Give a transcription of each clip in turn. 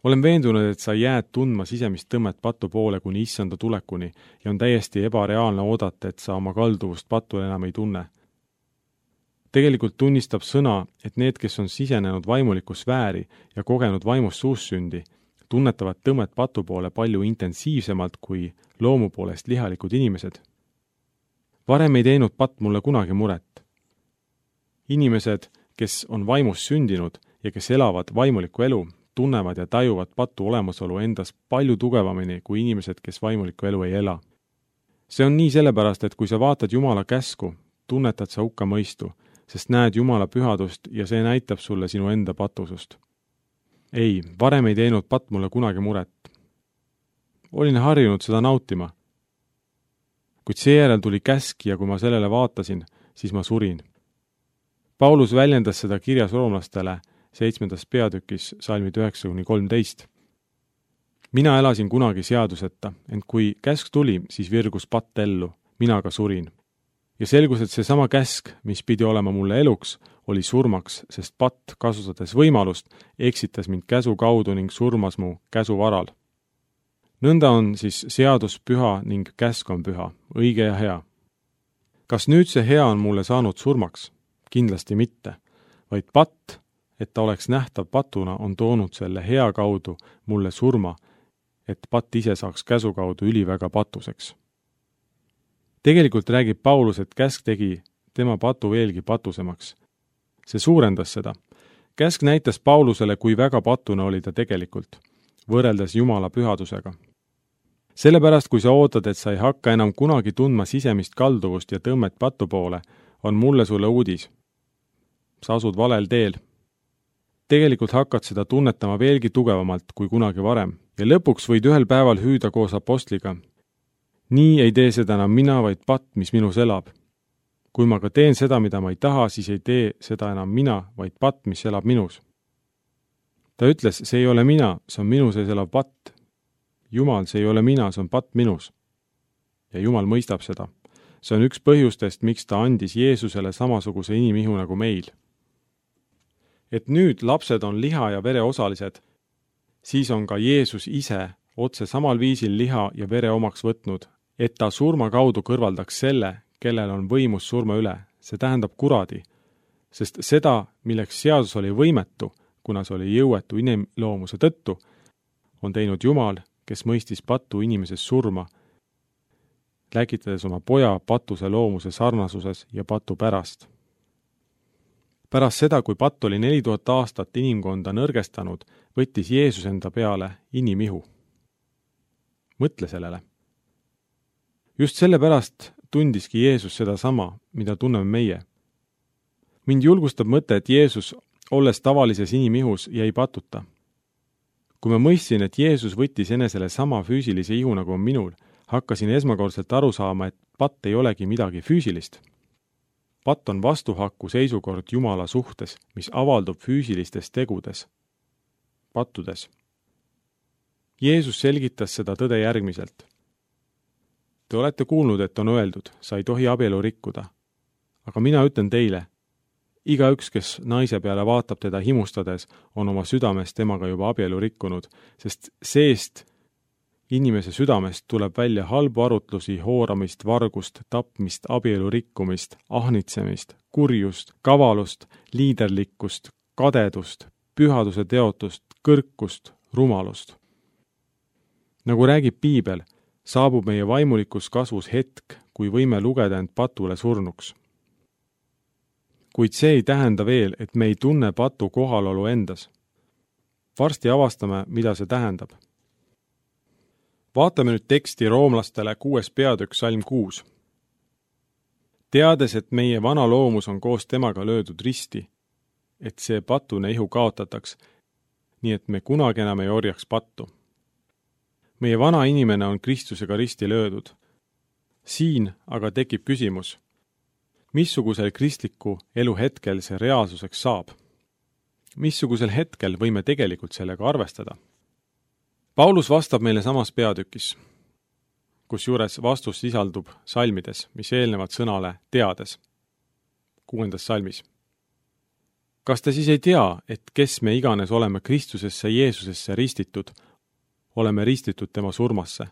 olen veendunud, et sa jääd tundma sisemist tõmmet patu poole kuni issanda tulekuni ja on täiesti ebareaalne oodata, et sa oma kalduvust patule enam ei tunne. Tegelikult tunnistab sõna, et need, kes on sisenenud vaimulikku sfääri ja kogenud vaimust suussündi, tunnetavad tõmmet patu poole palju intensiivsemalt kui loomu poolest lihalikud inimesed. Varem ei teinud patt mulle kunagi muret. Inimesed, kes on vaimust sündinud ja kes elavad vaimulikku elu, tunnevad ja tajuvad patu olemasolu endas palju tugevamini kui inimesed, kes vaimulikku elu ei ela. See on nii sellepärast, et kui sa vaatad Jumala käsku, tunnetad sa hukkamõistu, sest näed Jumala pühadust ja see näitab sulle sinu enda patusust. Ei, varem ei teinud patt mulle kunagi muret. Olin harjunud seda nautima. Kuid seejärel tuli käsk ja kui ma sellele vaatasin, siis ma surin. Paulus väljendas seda kirjas roomlastele 7. peatükis salmid 9-13. Mina elasin kunagi seaduseta, ent kui käsk tuli, siis virgus patt ellu, mina ka surin. Ja selgus, et seesama käsk, mis pidi olema mulle eluks, oli surmaks, sest patt, kasutades võimalust, eksitas mind käsu kaudu ning surmas mu käsu varal. Nõnda on siis seadus püha ning käsk on püha, õige ja hea. Kas nüüd see hea on mulle saanud surmaks? Kindlasti mitte, vaid patt, et ta oleks nähtav patuna, on toonud selle hea kaudu mulle surma, et patt ise saaks käsu kaudu üliväga patuseks. Tegelikult räägib Paulus, et käsk tegi tema patu veelgi patusemaks. See suurendas seda. Käsk näitas Paulusele, kui väga patuna oli ta tegelikult, võrreldes Jumala pühadusega. Sellepärast, kui sa ootad, et sa ei hakka enam kunagi tundma sisemist kalduvust ja tõmmet patu poole, on mulle sulle uudis. Sa asud valel teel. Tegelikult hakkad seda tunnetama veelgi tugevamalt kui kunagi varem ja lõpuks võid ühel päeval hüüda koos apostliga. Nii ei tee seda enam mina, vaid patt, mis minus elab. Kui ma ka teen seda, mida ma ei taha, siis ei tee seda enam mina, vaid patt, mis elab minus. Ta ütles, see ei ole mina, see on minu sees elav patt. Jumal, see ei ole mina, see on patt minus. Ja Jumal mõistab seda. See on üks põhjustest, miks ta andis Jeesusele samasuguse inimihu nagu meil. Et nüüd lapsed on liha ja vere osalised, siis on ka Jeesus ise otse samal viisil liha ja vere omaks võtnud, et ta surma kaudu kõrvaldaks selle, kellel on võimus surma üle, see tähendab kuradi, sest seda, milleks seadus oli võimetu, kuna see oli jõuetu inimloomuse tõttu, on teinud Jumal, kes mõistis patu inimeses surma, läkitades oma poja patuse loomuse sarnasuses ja patu pärast. Pärast seda, kui patt oli 4000 aastat inimkonda nõrgestanud, võttis Jeesus enda peale inimihu. Mõtle sellele. Just sellepärast tundiski Jeesus seda sama, mida tunneme meie. Mind julgustab mõte, et Jeesus, olles tavalises inimihus, jäi patuta. Kui ma mõistsin, et Jeesus võttis enesele sama füüsilise ihu nagu on minul, hakkasin esmakordselt aru saama, et patt ei olegi midagi füüsilist. Patt on vastuhaku seisukord Jumala suhtes, mis avaldub füüsilistes tegudes, pattudes. Jeesus selgitas seda tõde järgmiselt. Te olete kuulnud, et on öeldud, sa ei tohi abielu rikkuda. Aga mina ütlen teile, igaüks, kes naise peale vaatab teda himustades, on oma südames temaga juba abielu rikkunud, sest seest inimese südamest tuleb välja halbu arutlusi, hooramist, vargust, tapmist, abielu rikkumist, ahnitsemist, kurjust, kavalust, liiderlikkust, kadedust, pühaduse teotust, kõrkust, rumalust. Nagu räägib Piibel, saabub meie vaimulikus kasvus hetk, kui võime lugeda end patule surnuks. Kuid see ei tähenda veel, et me ei tunne patu kohalolu endas. Varsti avastame, mida see tähendab. Vaatame nüüd teksti roomlastele 6. peatükk salm 6. Teades, et meie vana loomus on koos temaga löödud risti, et see patune ihu kaotataks, nii et me kunagi enam ei orjaks pattu. Meie vana inimene on Kristusega risti löödud. Siin aga tekib küsimus, missugusel kristliku elu hetkel see reaalsuseks saab? Missugusel hetkel võime tegelikult sellega arvestada? Paulus vastab meile samas peatükis, kusjuures vastus sisaldub salmides, mis eelnevad sõnale teades, 6. salmis. Kas te siis ei tea, et kes me iganes oleme Kristusesse Jeesusesse ristitud, oleme ristitud tema surmasse?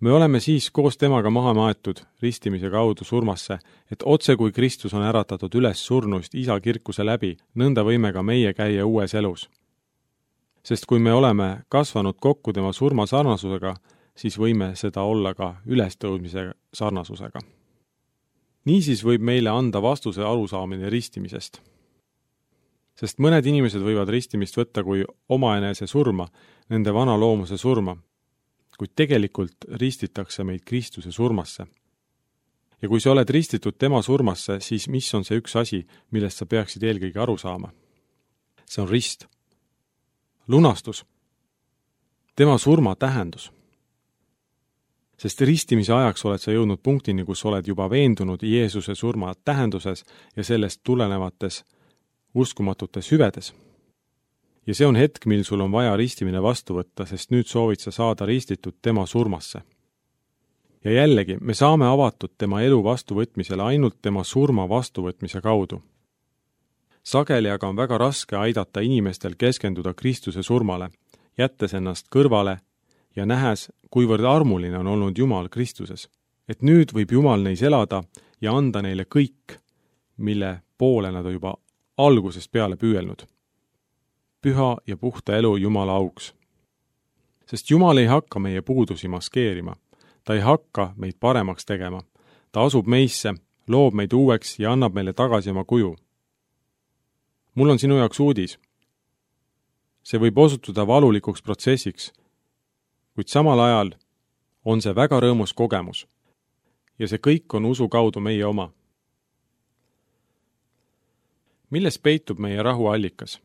Me oleme siis koos temaga maha maetud ristimise kaudu surmasse, et otse kui Kristus on äratatud üles surnuist isa kirkuse läbi, nõnda võime ka meie käia uues elus. Sest kui me oleme kasvanud kokku tema surma sarnasusega, siis võime seda olla ka ülestõusmise sarnasusega. Niisiis võib meile anda vastuse arusaamine ristimisest. Sest mõned inimesed võivad ristimist võtta kui omaenese surma, nende vana loomuse surma, kuid tegelikult ristitakse meid Kristuse surmasse. Ja kui sa oled ristitud tema surmasse, siis mis on see üks asi, millest sa peaksid eelkõige aru saama? See on rist. Lunastus. Tema surma tähendus. Sest ristimise ajaks oled sa jõudnud punktini, kus oled juba veendunud Jeesuse surma tähenduses ja sellest tulenevates uskumatutes hüvedes. Ja see on hetk, mil sul on vaja ristimine vastu võtta, sest nüüd soovid sa saada ristitud tema surmasse. Ja jällegi, me saame avatud tema elu vastuvõtmisele ainult tema surma vastuvõtmise kaudu. Sageli aga on väga raske aidata inimestel keskenduda Kristuse surmale, jättes ennast kõrvale ja nähes, kuivõrd armuline on olnud Jumal Kristuses. Et nüüd võib Jumal neis elada ja anda neile kõik, mille poole nad on juba algusest peale püüelnud. Püha ja puhta elu Jumala auks. Sest Jumal ei hakka meie puudusi maskeerima. Ta ei hakka meid paremaks tegema. Ta asub meisse, loob meid uueks ja annab meile tagasi oma kuju. Mul on sinu jaoks uudis. See võib osutuda valulikuks protsessiks, kuid samal ajal on see väga rõõmus kogemus. Ja see kõik on usu kaudu meie oma. Milles peitub meie rahu allikas?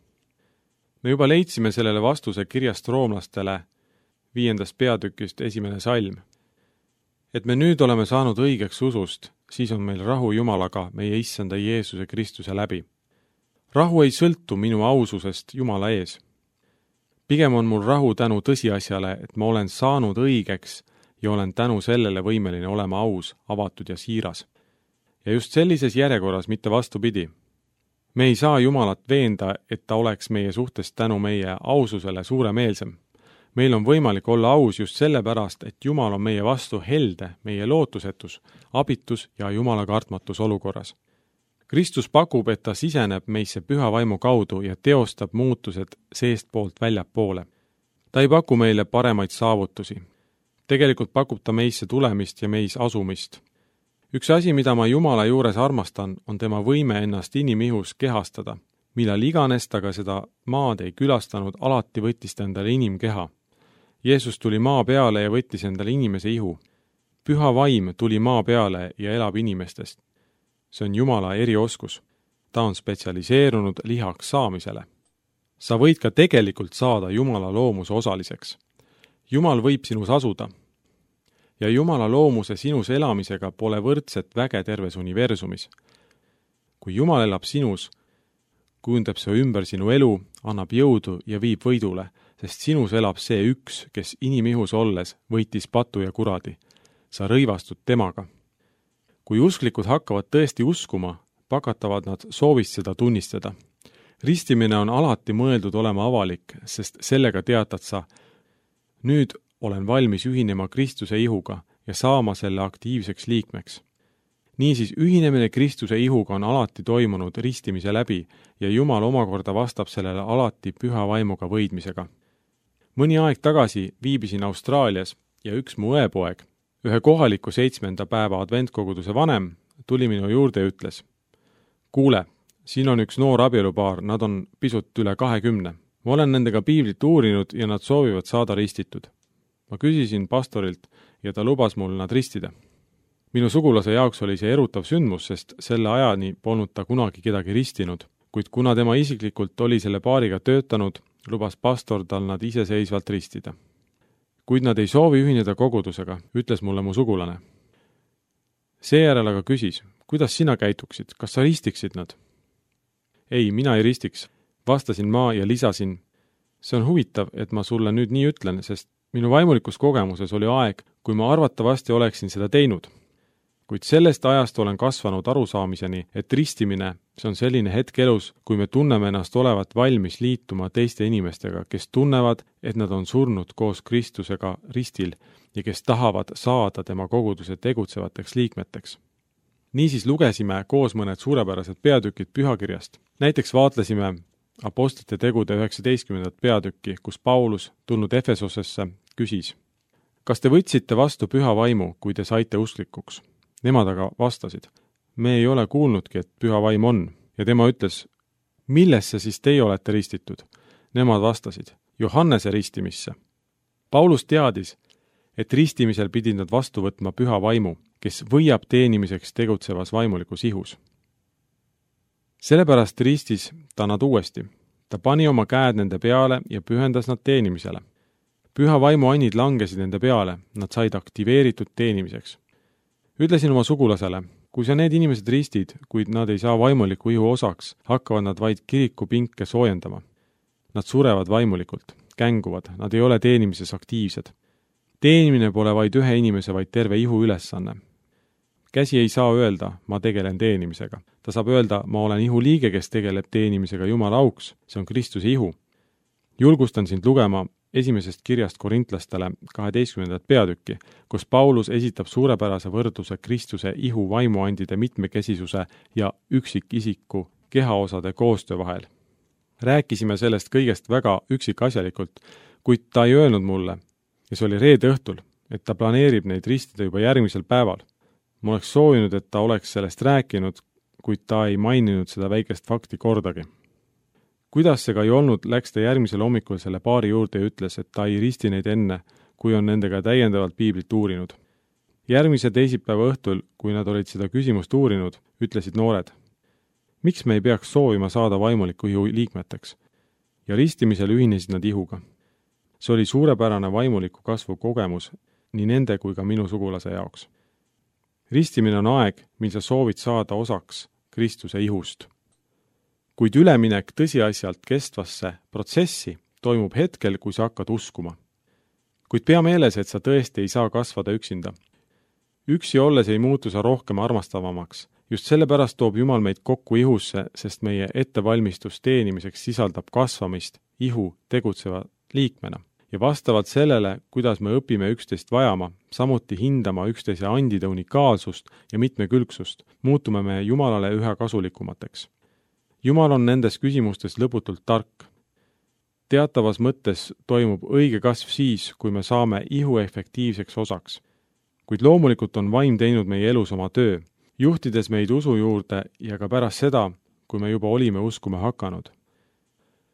Me juba leidsime sellele vastuse kirjast roomlastele 5. peatükist 1. salm. Et me nüüd oleme saanud õigeks usust, siis on meil rahu Jumalaga meie issanda Jeesuse Kristuse läbi. Rahu ei sõltu minu aususest Jumala ees. Pigem on mul rahu tänu tõsiasjale, et ma olen saanud õigeks ja olen tänu sellele võimeline olema aus, avatud ja siiras. Ja just sellises järjekorras, mitte vastupidi. Me ei saa Jumalat veenda, et ta oleks meie suhtes tänu meie aususele suuremeelsem. Meil on võimalik olla aus just sellepärast, et Jumal on meie vastu helde, meie lootusetus, abitus ja Jumala kartmatus olukorras. Kristus pakub, et ta siseneb meisse püha vaimu kaudu ja teostab muutused seestpoolt väljapoole. Ta ei paku meile paremaid saavutusi. Tegelikult pakub ta meisse tulemist ja meis asumist. Üks asi, mida ma Jumala juures armastan, on tema võime ennast inimihus kehastada. Millal iganes ta ka seda maad ei külastanud, alati võttis ta endale inimkeha. Jeesus tuli maa peale ja võttis endale inimese ihu. Püha vaim tuli maa peale ja elab inimestest. See on Jumala erioskus. Ta on spetsialiseerunud lihaks saamisele. Sa võid ka tegelikult saada Jumala loomuse osaliseks. Jumal võib sinus asuda. Ja Jumala loomuse sinus elamisega pole võrdset väge terves universumis. Kui Jumal elab sinus, kujundab see ümber sinu elu, annab jõudu ja viib võidule, sest sinus elab see üks, kes inimihus olles võitis patu ja kuradi. Sa rõivastud temaga. Kui usklikud hakkavad tõesti uskuma, pakatavad nad soovist seda tunnistada. Ristimine on alati mõeldud olema avalik, sest sellega teatad sa, nüüd olen valmis ühinema Kristuse ihuga ja saama selle aktiivseks liikmeks. Niisiis, ühinemine Kristuse ihuga on alati toimunud ristimise läbi ja Jumal omakorda vastab sellele alati püha vaimuga võidmisega. Mõni aeg tagasi viibisin Austraalias ja üks mu õepoeg, ühe kohaliku 7. päeva adventkoguduse vanem, tuli minu juurde ja ütles, kuule, siin on üks noor abielupaar, nad on pisut üle 20. Ma olen nendega piiblit uurinud ja nad soovivad saada ristitud. Ma küsisin pastorilt ja ta lubas mul nad ristida. Minu sugulase jaoks oli see erutav sündmus, sest selle ajani polnud ta kunagi kedagi ristinud, kuid kuna tema isiklikult oli selle paariga töötanud, lubas pastor tal nad iseseisvalt ristida. Kuid nad ei soovi ühineda kogudusega, ütles mulle mu sugulane. Seejärel aga küsis, kuidas sina käituksid, kas sa ristiksid nad? Ei, mina ei ristiks, vastasin ma ja lisasin. See on huvitav, et ma sulle nüüd nii ütlen, sest minu vaimulikus kogemuses oli aeg, kui ma arvatavasti oleksin seda teinud. kuid sellest ajast olen kasvanud arusaamiseni, et ristimine, see on selline hetk elus, kui me tunneme ennast olevat valmis liituma teiste inimestega, kes tunnevad, et nad on surnud koos Kristusega ristil ja kes tahavad saada tema koguduse tegutsevateks liikmeteks. Niisiis lugesime koos mõned suurepärased peatükid pühakirjast. Näiteks vaatlesime Apostlite tegude 19. peatükki, kus Paulus, tulnud Efesosesse, küsis: kas te võtsite vastu püha vaimu, kui te saite usklikuks? Nemad aga vastasid: me ei ole kuulnudki, et püha vaim on. Ja tema ütles: millesse siis teie olete ristitud? Nemad vastasid: Johannese ristimisse. Paulus teadis, et ristimisel pidid nad vastu võtma püha vaimu, kes võiab teenimiseks tegutsevas vaimulikus ihus. Sellepärast ristis ta nad uuesti. Ta pani oma käed nende peale ja pühendas nad teenimisele. Püha vaimu annid langesid nende peale, nad said aktiveeritud teenimiseks. Ütlesin oma sugulasele: kui sa need inimesed ristid, kuid nad ei saa vaimuliku ihu osaks, hakkavad nad vaid kiriku pinke soojendama. Nad surevad vaimulikult, känguvad, nad ei ole teenimises aktiivsed. Teenimine pole vaid ühe inimese, vaid terve ihu ülesanne. Käsi ei saa öelda, ma tegelen teenimisega. Ta saab öelda, ma olen ihu liige, kes tegeleb teenimisega Jumala auks, see on Kristuse ihu. Julgustan sind lugema esimesest kirjast korintlastele 12. peatükki, kus Paulus esitab suurepärase võrdluse Kristuse ihu vaimuandide mitmekesisuse ja üksikisiku kehaosade koostöö vahel. Rääkisime sellest kõigest väga üksikasjalikult, kuid ta ei öelnud mulle, ja see oli reede õhtul, et ta planeerib neid ristida juba järgmisel päeval. Ma oleks soovinud, et ta oleks sellest rääkinud, kuid ta ei maininud seda väikest fakti kordagi. Kuidas see ka ei olnud, läks ta järgmisel hommikul selle paari juurde ja ütles, et ta ei risti neid enne, kui on nendega täiendavalt piiblit uurinud. Järgmise teisipäeva õhtul, kui nad olid seda küsimust uurinud, ütlesid noored: miks me ei peaks soovima saada vaimuliku ihu liikmeteks? Ja ristimisel ühinesid nad ihuga. See oli suurepärane vaimuliku kasvu kogemus nii nende kui ka minu sugulase jaoks. Ristimine on aeg, mil sa soovid saada osaks Kristuse ihust. Kuid üleminek tõsiasjalt kestvasse protsessi toimub hetkel, kui sa hakkad uskuma. Kuid pea meeles, et sa tõesti ei saa kasvada üksinda. Üksi olles ei muutu sa rohkem armastavamaks. Just sellepärast toob Jumal meid kokku ihusse, sest meie ettevalmistus teenimiseks sisaldab kasvamist ihu tegutseva liikmena. Ja vastavalt sellele, kuidas me õpime üksteist vajama, samuti hindama üksteise andide unikaalsust ja mitmekülgsust, muutume me Jumalale üha kasulikumateks. Jumal on nendes küsimustes lõputult tark. Teatavas mõttes toimub õige kasv siis, kui me saame ihu efektiivseks osaks. Kuid loomulikult on vaim teinud meie elus oma töö, juhtides meid usu juurde ja ka pärast seda, kui me juba olime uskuma hakanud.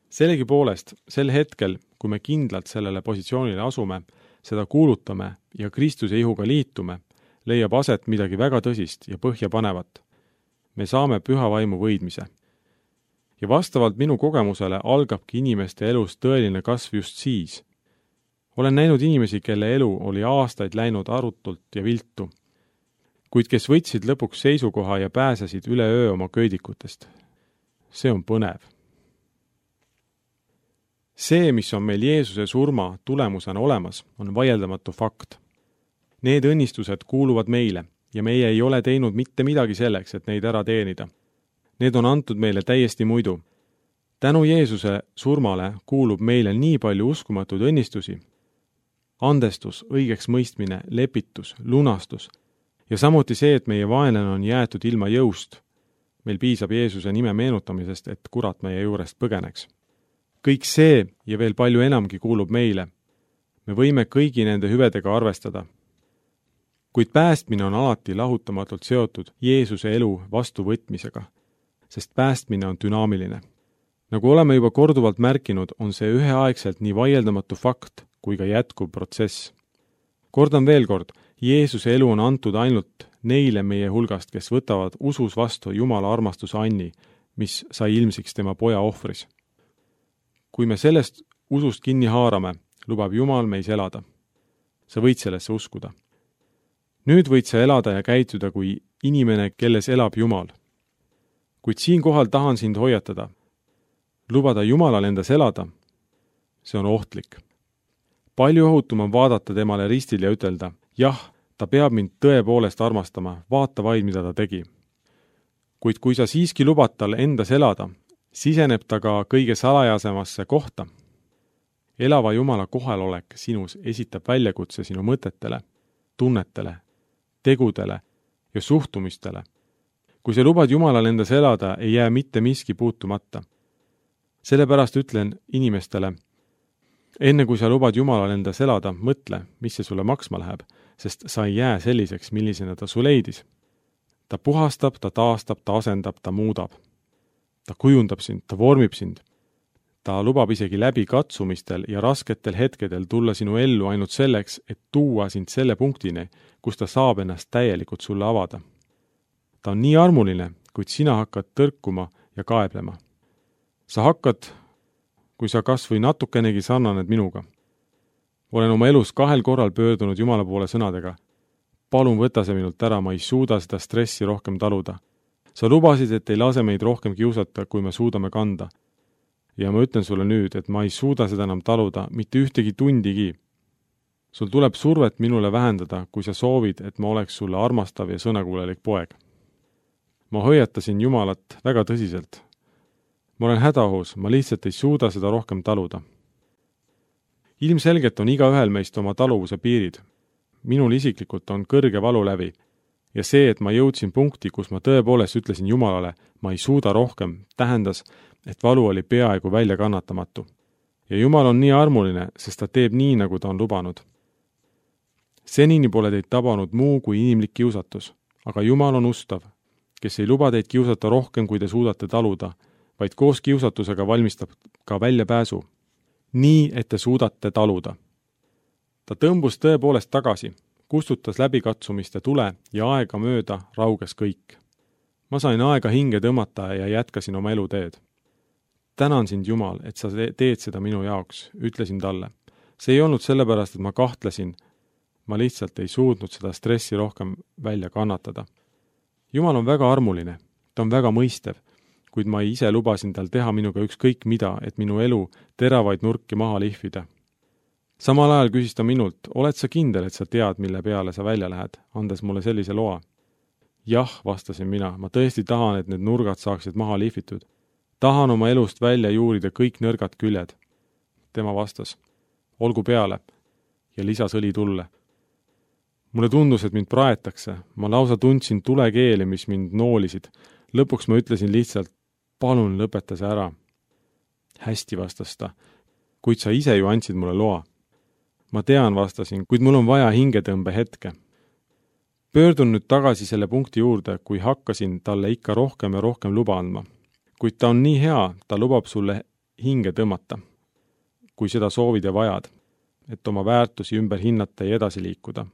Sellegipoolest, sel hetkel, kui me kindlalt sellele positsioonile asume, seda kuulutame ja Kristuse ihuga liitume, leiab aset midagi väga tõsist ja põhjapanevat. Me saame püha vaimu võidmise. Ja vastavalt minu kogemusele algabki inimeste elus tõeline kasv just siis. Olen näinud inimesi, kelle elu oli aastaid läinud arutult ja viltu, kuid kes võtsid lõpuks seisukoha ja pääsesid üle öö oma köidikutest. See on põnev. See, mis on meil Jeesuse surma tulemusena olemas, on vaieldamatu fakt. Need õnnistused kuuluvad meile ja meie ei ole teinud mitte midagi selleks, et neid ära teenida. Need on antud meile täiesti muidu. Tänu Jeesuse surmale kuulub meile nii palju uskumatuid õnnistusi. Andestus, õigeks mõistmine, lepitus, lunastus ja samuti see, et meie vaenlane on jäetud ilma jõust. Meil piisab Jeesuse nime meenutamisest, et kurat meie juurest põgeneks. Kõik see ja veel palju enamgi kuulub meile. Me võime kõigi nende hüvedega arvestada. Kuid päästmine on alati lahutamatult seotud Jeesuse elu vastuvõtmisega, sest päästmine on dünaamiline. Nagu oleme juba korduvalt märkinud, on see üheaegselt nii vaieldamatu fakt kui ka jätkuv protsess. Kordan veel kord, Jeesuse elu on antud ainult neile meie hulgast, kes võtavad usus vastu Jumala armastuse anni, mis sai ilmsiks tema poja ohvris. Kui me sellest usust kinni haarame, lubab Jumal meis elada. Sa võid sellesse uskuda. Nüüd võid sa elada ja käituda kui inimene, kelles elab Jumal. Kuid siinkohal tahan sind hoiatada. Lubada Jumalal endas elada, see on ohtlik. Palju ohutum on vaadata temale ristil ja ütelda, jah, ta peab mind tõepoolest armastama, vaata vaid, mida ta tegi. Kuid kui sa siiski lubad tal endas elada, siseneb ta ka kõige salajasemasse kohta. Elava Jumala kohalolek sinus esitab väljakutse sinu mõtetele, tunnetele, tegudele ja suhtumistele. Kui sa lubad Jumalal endas elada, ei jää mitte miski puutumata. Sellepärast ütlen inimestele, enne kui sa lubad Jumalal endas elada, mõtle, mis see sulle maksma läheb, sest sa ei jää selliseks, millisena ta su leidis. Ta puhastab, ta taastab, ta asendab, ta muudab. Ta kujundab sind, ta vormib sind. Ta lubab isegi läbi katsumistel ja rasketel hetkedel tulla sinu ellu ainult selleks, et tuua sind selle punktini, kus ta saab ennast täielikult sulle avada. Ta on nii armuline, kuid sina hakkad tõrkuma ja kaeblema. Sa hakkad, kui sa kas või natukenegi sarnaned minuga. Olen oma elus 2 korral pöördunud Jumala poole sõnadega. Palun võta see minult ära, ma ei suuda seda stressi rohkem taluda. Sa lubasid, et ei lase meid rohkem kiusata, kui me suudame kanda. Ja ma ütlen sulle nüüd, et ma ei suuda seda enam taluda, mitte ühtegi tundigi. Sul tuleb survet minule vähendada, kui sa soovid, et ma oleks sulle armastav ja sõnakuulelik poeg. Ma hoiatasin Jumalat väga tõsiselt. Ma olen hädaohus, ma lihtsalt ei suuda seda rohkem taluda. Ilmselgelt on igaühel meist oma taluvuse piirid. Minul isiklikult on kõrge valulävi ja see, et ma jõudsin punkti, kus ma tõepoolest ütlesin Jumalale, ma ei suuda rohkem, tähendas, et valu oli peaaegu välja kannatamatu. Ja Jumal on nii armuline, sest ta teeb nii, nagu ta on lubanud. Senini pole teid tabanud muu kui inimlik kiusatus, aga Jumal on ustav, kes ei luba teid kiusata rohkem, kui te suudate taluda, vaid koos kiusatusega valmistab ka väljapääsu, nii, et te suudate taluda. Ta tõmbus tõepoolest tagasi, kustutas läbikatsumiste tule ja aega mööda rauges kõik. Ma sain aega hinge tõmmata ja jätkasin oma eluteed. Tänan sind, Jumal, et sa teed seda minu jaoks, ütlesin talle. See ei olnud sellepärast, et ma kahtlesin, ma lihtsalt ei suutnud seda stressi rohkem välja kannatada. Jumal on väga armuline, ta on väga mõistev, kuid ma ise lubasin tal teha minuga ükskõik mida, et minu elu teravaid nurki maha lihvida. Samal ajal küsis ta minult, oled sa kindel, et sa tead, mille peale sa välja lähed, andes mulle sellise loa? Jah, vastasin mina, ma tõesti tahan, et need nurgad saaksid maha lihvitud. Tahan oma elust välja juurida kõik nõrgad küljed. Tema vastas, olgu peale, ja lisas õli tulle. Mulle tundus, et mind praetakse, ma lausa tundsin tulekeeli, mis mind noolisid. Lõpuks ma ütlesin lihtsalt, palun lõpeta see ära. Hästi, vastas ta, kuid sa ise ju andsid mulle loa. Ma tean, vastasin, kuid mul on vaja hingetõmbe hetke. Pöördun nüüd tagasi selle punkti juurde, kui hakkasin talle ikka rohkem ja rohkem luba andma. Kuid ta on nii hea, ta lubab sulle hinge tõmmata, kui seda soovid ja vajad, et oma väärtusi ümber hinnata ja edasi liikuda.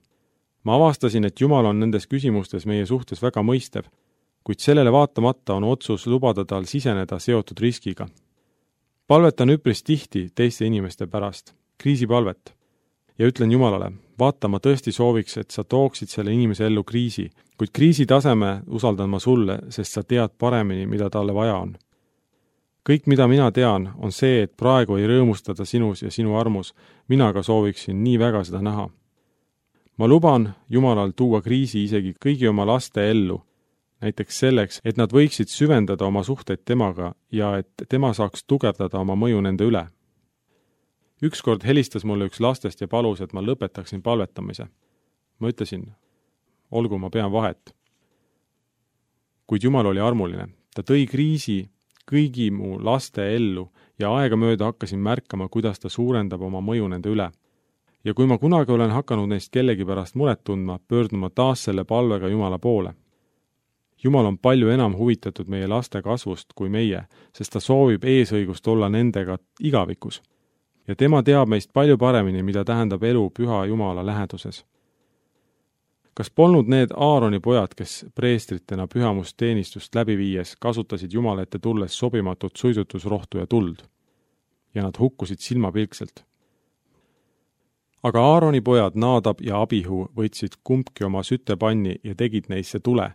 Ma avastasin, et Jumal on nendes küsimustes meie suhtes väga mõistev, kuid sellele vaatamata on otsus lubada tal siseneda seotud riskiga. Palvetan üpris tihti teiste inimeste pärast, kriisipalvet, ja ütlen Jumalale, vaata, ma tõesti sooviks, et sa tooksid selle inimese ellu kriisi, kuid kriisi taseme usaldan ma sulle, sest sa tead paremini, mida talle vaja on. Kõik, mida mina tean, on see, et praegu ei rõõmustada sinus ja sinu armus, mina ka sooviksin nii väga seda näha. Ma luban Jumalal tuua kriisi isegi kõigi oma laste ellu, näiteks selleks, et nad võiksid süvendada oma suhteid temaga ja et tema saaks tugevdada oma mõju nende üle. Ükskord helistas mulle üks lastest ja palus, et ma lõpetaksin palvetamise. Ma ütlesin, olgu, ma pean vahet. Kuid Jumal oli armuline. Ta tõi kriisi kõigi mu laste ellu ja aegamööda hakkasin märkama, kuidas ta suurendab oma mõju nende üle. Ja kui ma kunagi olen hakanud neist kellegi pärast muret tundma, pöörduma taas selle palvega Jumala poole. Jumal on palju enam huvitatud meie laste kasvust kui meie, sest ta soovib eesõigust olla nendega igavikus. Ja tema teab meist palju paremini, mida tähendab elu püha Jumala läheduses. Kas polnud need Aaroni pojad, kes preestritena pühamusteenistust läbi viies kasutasid Jumala ette tulles sobimatut suitsutusrohtu ja tuld? Ja nad hukkusid silmapilkselt. Aga Aaroni pojad Naadab ja Abihu võtsid kumbki oma sütepanni ja tegid neisse tule.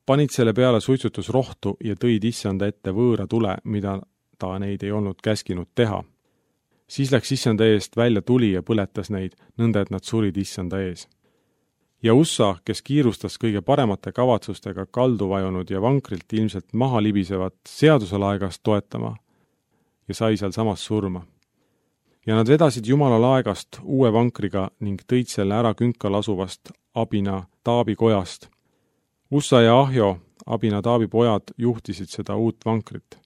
Panid selle peale suitsutusrohtu ja tõid issanda ette võõra tule, mida ta neid ei olnud käskinud teha. Siis läks issanda eest välja tuli ja põletas neid, nõnda et nad surid issanda ees. ja Ussa, kes kiirustas kõige paremate kavatsustega kaldu vajunud ja vankrilt ilmselt maha libisevat seaduselaegast toetama ja sai seal samas surma. Ja nad vedasid Jumala laegast uue vankriga ning tõid selle ära künkal asuvast Abinadaabi kojast. Ussa ja Ahjo, Abinadaabi pojad, juhtisid seda uut vankrit.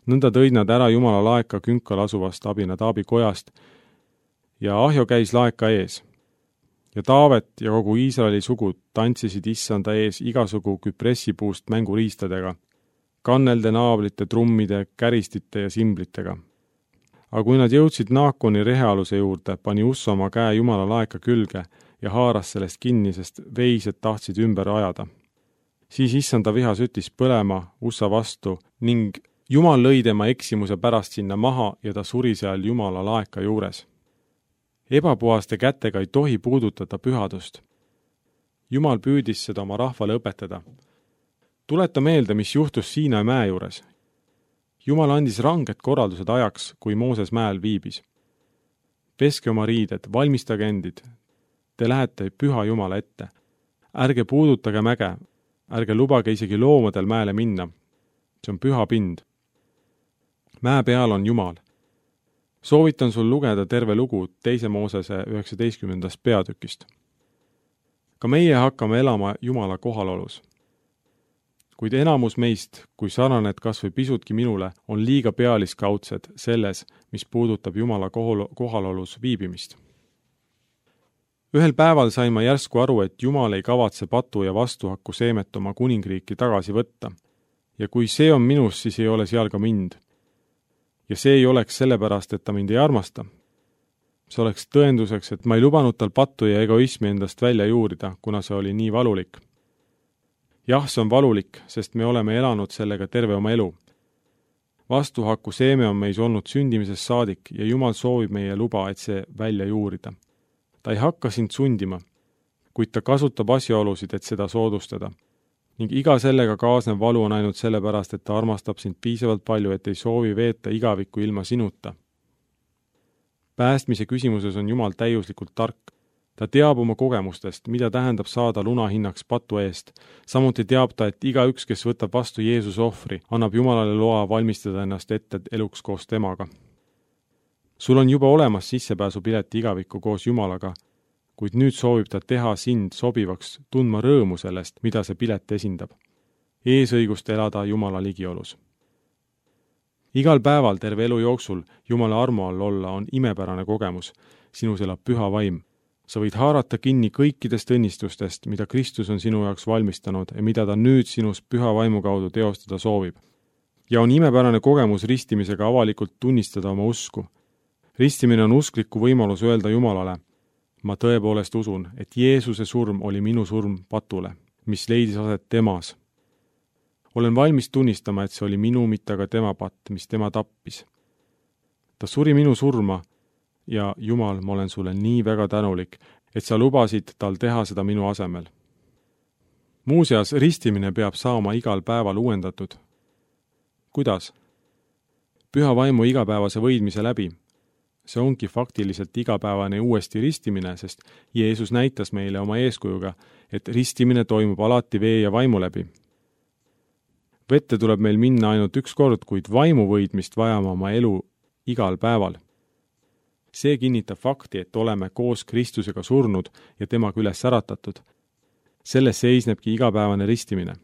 Nõnda tõid nad ära Jumala laeka künkal asuvast Abinadaabi kojast ja Ahjo käis laeka ees. Ja Taavet ja kogu Iisraeli sugud tantsisid issanda ees igasugu küpressipuust mänguriistadega, kannelde, naablite, trummide, käristite ja simblitega. Aga kui nad jõudsid Naakoni rehealuse juurde, pani Ussa oma käe Jumala laeka külge ja haaras sellest kinni, sest veised tahtsid ümber ajada. Siis issanda viha süttis põlema Ussa vastu ning Jumal lõi tema eksimuse pärast sinna maha ja ta suri seal Jumala laeka juures. Ebapuhaste kätega ei tohi puudutada pühadust. Jumal püüdis seda oma rahvale õpetada. Tuleta meelde, mis juhtus Siinai mäe juures. Jumal andis ranged korraldused ajaks, kui Mooses mäel viibis. Peske oma riided, valmistage endid. Te lähete püha Jumala ette. Ärge puudutage mäge, ärge lubage isegi loomadel mäele minna. See on püha pind. Mäe peal on Jumal. Soovitan sul lugeda terve lugu 2. Moosese 19. peatükist. Ka meie hakkame elama Jumala kohalolus. Kuid enamus meist, kui sarnaned kas või pisutki minule, on liiga pealiskaudsed selles, mis puudutab Jumala kohalolus viibimist. Ühel päeval sain ma järsku aru, et Jumal ei kavatse patu ja vastuhakku seemet oma kuningriiki tagasi võtta. Ja kui see on minus, siis ei ole seal ka mind. Ja see ei oleks sellepärast, et ta mind ei armasta. See oleks tõenduseks, et ma ei lubanud tal pattu ja egoismi endast välja juurida, kuna see oli nii valulik. Jah, see on valulik, sest me oleme elanud sellega terve oma elu. Vastuhaku seeme on meis olnud sündimisest saadik ja Jumal soovib meie luba, et see välja juurida. Ta ei hakka sind sundima, kuid ta kasutab asjaolusid, et seda soodustada. Ning iga sellega kaasnev valu on ainult sellepärast, et ta armastab sind piisavalt palju, et ei soovi veeta igavikku ilma sinuta. Päästmise küsimuses on Jumal täiuslikult tark. Ta teab oma kogemustest, mida tähendab saada lunahinnaks patu eest. Samuti teab ta, et igaüks, kes võtab vastu Jeesuse ohvri, annab Jumalale loa valmistada ennast ette eluks koos temaga. Sul on juba olemas sissepääsupileti igavikku koos Jumalaga, kuid nüüd soovib ta teha sind sobivaks tundma rõõmu sellest, mida see pilet esindab. Eesõigust elada Jumala ligiolus. Igal päeval terve elu jooksul Jumala armu all olla on imepärane kogemus. Sinus elab püha vaim. Sa võid haarata kinni kõikidest õnnistustest, mida Kristus on sinu jaoks valmistanud ja mida ta nüüd sinus püha vaimu kaudu teostada soovib. Ja on imepärane kogemus ristimisega avalikult tunnistada oma usku. Ristimine on uskliku võimalus öelda Jumalale, ma tõepoolest usun, et Jeesuse surm oli minu surm patule, mis leidis aset temas. Olen valmis tunnistama, et see oli minu, mitte aga tema patt, mis tema tappis. Ta suri minu surma ja Jumal, ma olen sulle nii väga tänulik, et sa lubasid tal teha seda minu asemel. Muuseas, ristimine peab saama igal päeval uuendatud. Kuidas? Püha vaimu igapäevase võidmise läbi. See ongi faktiliselt igapäevane uuesti ristimine, sest Jeesus näitas meile oma eeskujuga, et ristimine toimub alati vee ja vaimu läbi. Vette tuleb meil minna ainult üks kord, kuid vaimu võidmist vajame oma elu igal päeval. See kinnitab fakti, et oleme koos Kristusega surnud ja temaga üles äratatud. Selles seisnebki igapäevane ristimine.